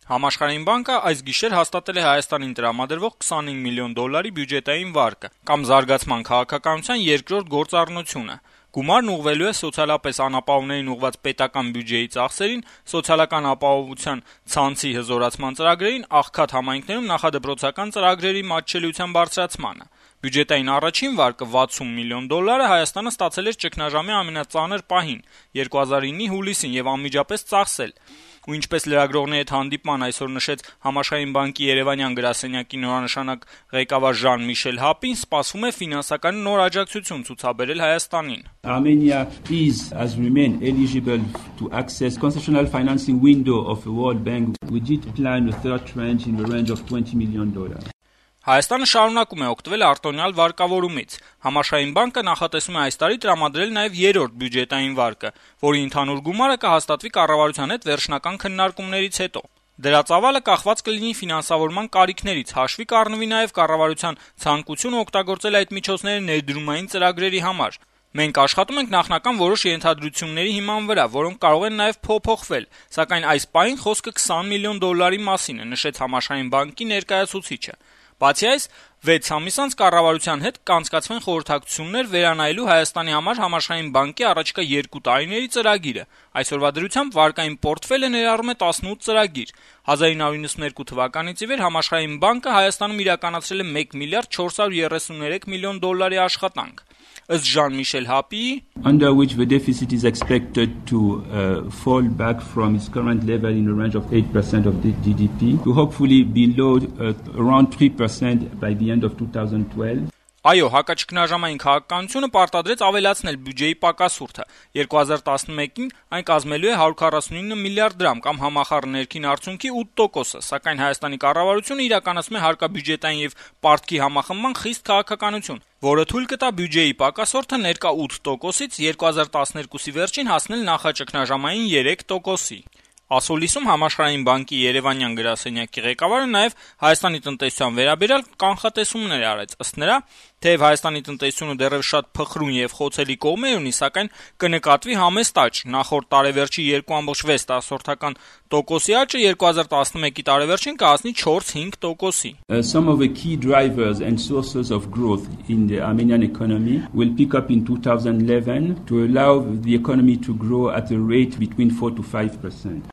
Համաշխարհային բանկը այս գիշեր հաստատել է Հայաստանին տրամադրվող $25 միլիոն բյուջետային վարկը կամ զարգացման քաղաքականության երկրորդ գործառնությունը։ Գումարն ուղղվելու է սոցիալապես անապահովներին ուղղված պետական բյուջեի ծախսերին, սոցիալական ապահովության ցանցի հզորացման ծրագրերին, աղքատ համայնքներում նախադպրոցական ծրագրերի մատչելիության բարձրացմանը։ Բյուջետային առաջին վարկը $60 միլիոն Հայաստանը ստացել էր ճգնաժամի ամենածանր պահին՝ 2009-ի հուլիսին եւ անմիջապես ծախսել։ Ու ինչպես լրագրողների հետ հանդիպման այսօր նշեց Համաշխարհային բանկի Երևանյան գրասենյակի նորանշանակ ղեկավար Ժան-Միշել Հապին, սպասվում է ֆինանսական նոր աջակցություն ցուցաբերել Հայաստանին։ Armenia has remained eligible to access concessional financing window of the World Bank. We did plan a third tranche in the range of $20 million. Հայաստանը շարունակում է օգտվել արտոնյալ վարկավորումից։ Համաշխարհային բանկը նախատեսում է այս տարի տրամադրել նաև երրորդ բյուջետային վարկը, որի ընդհանուր գումարը կհաստատվի կառավարության հետ վերջնական քննարկումներից հետո։ Դրա ծավալը կախված կլինի ֆինանսավորման կարիքներից, հաշվի կառնվի նաև կառավարության ցանկությունը օգտագործել այդ միջոցները ներդրումային ծրագրերի համար։ Մենք աշխատում ենք նախնական որոշ ենթադրությունների հիման վրա, որոնք կարող են նաև փոփոխվել, սակայն այս պահին խոսքը $20 միլիոն մասին է, նշեց Համաշխարհային բանկի ներկայացուցիչը։ Բացի այս, 6 ամիս անց կառավարության հետ կանցկացվեն խորհրդակցություններ վերանայելու Հայաստանի համար Համաշխարհային բանկի առաջիկա 2 տարիների ծրագիրը։ Այսօրվա դրությամբ վարկային պորտֆելը ներառում է 18 ծրագիր։ 1992 թվականից ի վեր Համաշխարհային բանկը Հայաստանում իրականացրել է $1 միլիարդ 433 միլիոն աշխատանք։ Ըստ Ժան-Միշել Հապիի, under which the deficit is expected to fall back from its current level in a range of 8% of the GDP to hopefully below around 3% by the end of 2012. Այո, հակաճգնաժամային քաղաքականությունը պարտադրեց ավելացնել բյուջեի պակասուրդը։ 2011-ին այն կազմելու է 149 միլիարդ դրամ կամ համախառն ներքին արդյունքի 8%, սակայն Հայաստանի կառավարությունը իրականացնում է հարկաբյուջետային եւ պարտքի համախմբման խիստ քաղաքականություն, որը թույլ կտա բյուջեի պակասորդը ներկա 8%-ից 2012-ի վերջին հասնել նախաճգնաժամային 3%-ի։ Ասուլիսում Համաշխարհային բանկի Երևանյան գրասենյակի ղեկավարը նաև Հայաստանի տնտեսության վերաբերյալ կանխատեսումներ արեց։ Ըստ նրա, թեև Հայաստանի տնտեսությունը դեռևս շատ փխրուն եւ խոցելի կողմեր ունի, սակայն կնկատվի համեստ աճ։ Նախորդ տարեվերջի 2.6% աճը 2011-ի տարեվերջին կհասնի 4-5%-ի։ Some of the key drivers and sources of growth in the Armenian economy will pick up in 2011 to allow the economy to grow at a rate between 4 to 5%.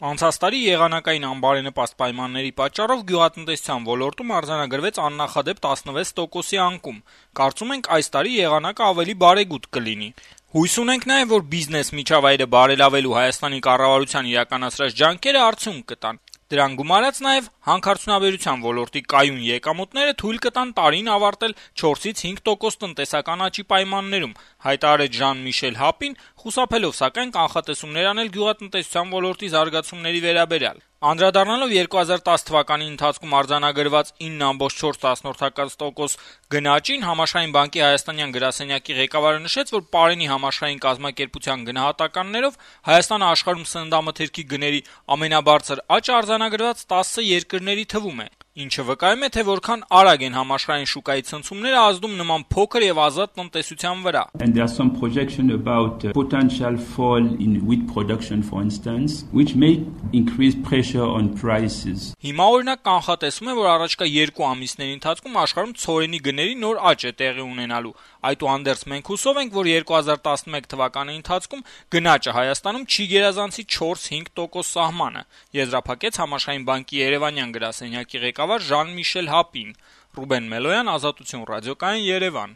Անցած տարի եղանակային անբարենպաստ պայմանների պատճառով գյուղատնտեսության ոլորտում արձանագրվեց աննախադեպ 16%-ի անկում։ Կարծում ենք այս տարի եղանակը ավելի բարեգութ կլինի։ Հույս ունենք նաև, որ բիզնես միջավայրը բարելավելու Հայաստանի կառավարության իրականացրած ջանքերը արդյունք կտան։ Դրան գումարած նաև հանքարդյունաբերության ոլորտի կայուն եկամուտները թույլ կտան տարին ավարտել 4-5% տնտեսական աճի պայմաններում, հայտարարեց Ժան-Միշել Հապին, խուսափելով սակայն կանխատեսումներ անել գյուղատնտեսության ոլորտի զարգացումների վերաբերյալ։ Անդրադառնալով 2010 թվականի ընթացքում արձանագրված 9.4% գնաճին, Համաշխարհային բանկի Հայաստանյան գրասենյակի ղեկավարը նշեց, որ Պարենի համաշխարհային կազմակերպության գնահատականներով Հայաստանը աշխարհում սննդամթերքի գների ամենաբարձր աճը արձանագրված 10 երկրների թվում է, ինչը վկայում է, թե որքան արագ են համաշխարհային շուկայի ցնցումները ազդում նման փոքր եւ ազատ տնտեսության վրա։ And there are some projection about potential fall in wheat production, for instance, which may increase pressure on prices. Հիմա օրինակ կանխատեսում է, որ առաջիկա 2 ամիսների ընթացքում աշխարհում ցորենի գների նոր աճ է տեղի ունենալու։ Այդուհանդերձ մենք հուսով ենք, որ 2011 թվականի ընթացքում գնաճը Հայաստանում չի գերազանցի 4-5% սահմանը, եզրափակեց Համաշխարհային բանկի Երևանյան գրասենյակի ղեկավար Ժան-Միշել Հապին։ Ռուբեն Մելոյան, Ազատություն ռադիոկայան, Երևան։